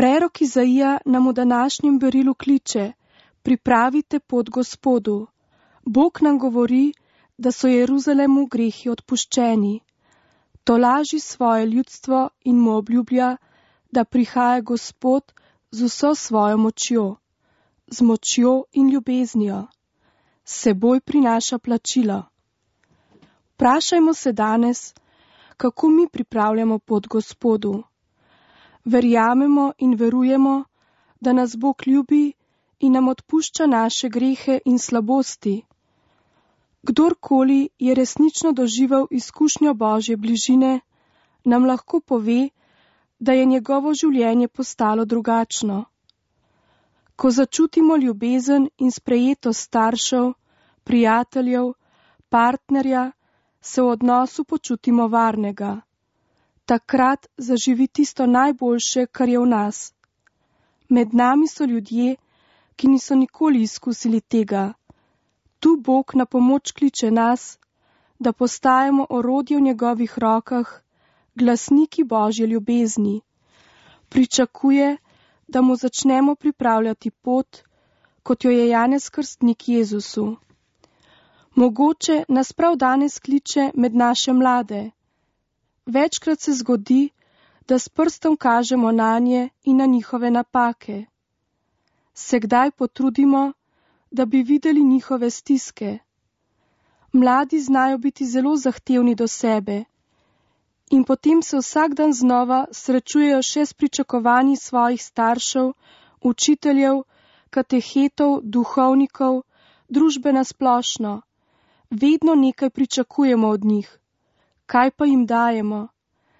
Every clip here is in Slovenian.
Prerok Izaija nam v današnjem berilu kliče: pripravite pot Gospodu. Bog nam govori, da so Jeruzalemu grehi odpuščeni. Tolaži svoje ljudstvo in mu obljublja, da prihaja Gospod z vso svojo močjo, z močjo in ljubeznijo. S seboj prinaša plačilo. Vprašajmo se danes, kako mi pripravljamo pot Gospodu. Verjamemo in verujemo, da nas Bog ljubi in nam odpušča naše grehe in slabosti. Kdorkoli je resnično doživel izkušnjo Božje bližine, nam lahko pove, da je njegovo življenje postalo drugačno. Ko začutimo ljubezen in sprejetost staršev, prijateljev, partnerja, se v odnosu počutimo varnega. Takrat zaživi tisto najboljše, kar je v nas. Med nami so ljudje, ki niso nikoli izkusili tega. Tu Bog na pomoč kliče nas, da postajamo orodje v njegovih rokah, glasniki Božje ljubezni. Pričakuje, da mu začnemo pripravljati pot, kot jo je Janez Krstnik Jezusu. Mogoče nas prav danes kliče med naše mlade. Večkrat se zgodi, da s prstom kažemo nanje in na njihove napake. Se kdaj potrudimo, da bi videli njihove stiske. Mladi znajo biti zelo zahtevni do sebe in potem se vsak dan znova srečujejo še s pričakovanji svojih staršev, učiteljev, katehetov, duhovnikov, družbe nasplošno. Vedno nekaj pričakujemo od njih. Kaj pa jim dajemo?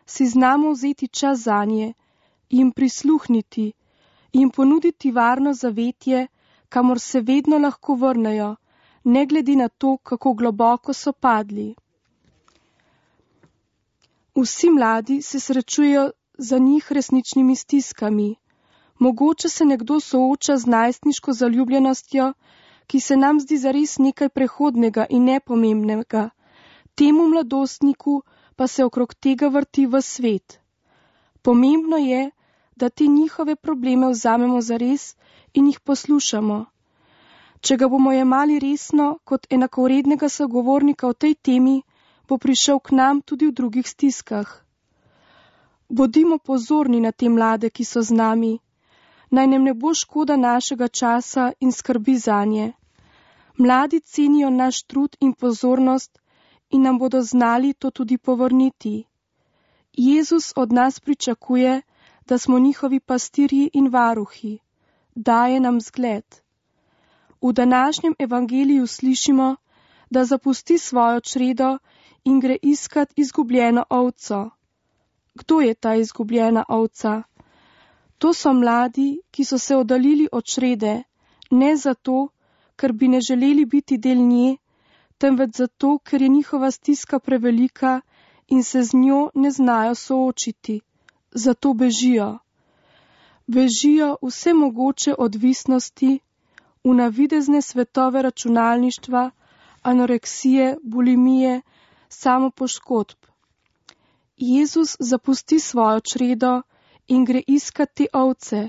Si znamo vzeti čas zanje, jim prisluhniti, jim ponuditi varno zavetje, kamor se vedno lahko vrnejo, ne glede na to, kako globoko so padli. Vsi mladi se srečujejo za njih resničnimi stiskami. Mogoče se nekdo sooča z najstniško zaljubljenostjo, ki se nam zdi zares nekaj prehodnega in nepomembnega. Temu mladostniku pa se okrog tega vrti v svet. Pomembno je, da te njihove probleme vzamemo zares in jih poslušamo. Če ga bomo jemali resno kot enakovrednega sogovornika v tej temi, bo prišel k nam tudi v drugih stiskah. Bodimo pozorni na te mlade, ki so z nami. Naj nam ne bo škoda našega časa in skrbi zanje. Mladi cenijo naš trud in pozornost in nam bodo znali to tudi povrniti. Jezus od nas pričakuje, da smo njihovi pastirji in varuhi. Daje nam zgled. V današnjem evangeliju slišimo, da zapusti svojo čredo in gre iskat izgubljeno ovco. Kdo je ta izgubljena ovca? To so mladi, ki so se oddaljili od črede, ne zato, ker bi ne želeli biti del nje, temveč zato, ker je njihova stiska prevelika in se z njo ne znajo soočiti. Zato bežijo. Bežijo vse mogoče odvisnosti, v navidezne svetove računalništva, anoreksije, bulimije, samopoškodb. Jezus zapusti svojo čredo in gre iskat te ovce.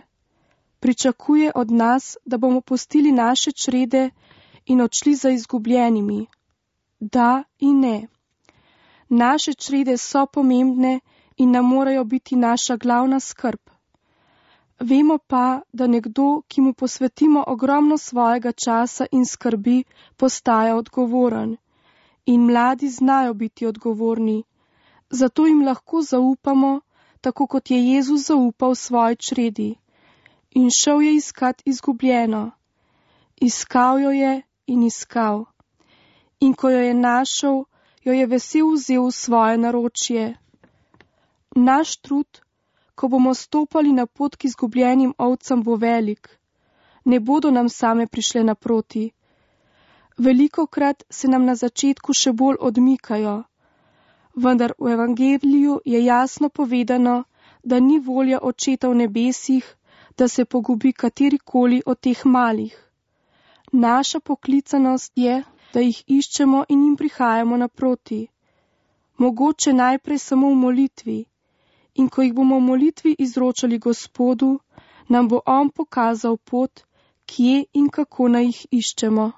Pričakuje od nas, da bomo pustili naše črede in odšli za izgubljenimi. Da in ne. Naše črede so pomembne in nam morajo biti naša glavna skrb. Vemo pa, da nekdo, ki mu posvetimo ogromno svojega časa in skrbi, postaja odgovoren. In mladi znajo biti odgovorni. Zato jim lahko zaupamo, tako kot je Jezus zaupal svoji čredi. In šel je iskat izgubljeno. Iskal jo je in iskal. In ko jo je našel, jo je vesel vzel v svoje naročje. Naš trud, ko bomo stopali na pot k izgubljenim ovcam, bo velik. Ne bodo nam same prišle naproti. Velikokrat se nam na začetku še bolj odmikajo. Vendar v evangeliju je jasno povedano, da ni volja Očeta v nebesih, da se pogubi katerikoli od teh malih. Naša poklicanost je, da jih iščemo in jim prihajamo naproti. Mogoče najprej samo v molitvi. In ko jih bomo v molitvi izročali Gospodu, nam bo on pokazal pot, kje in kako naj jih iščemo.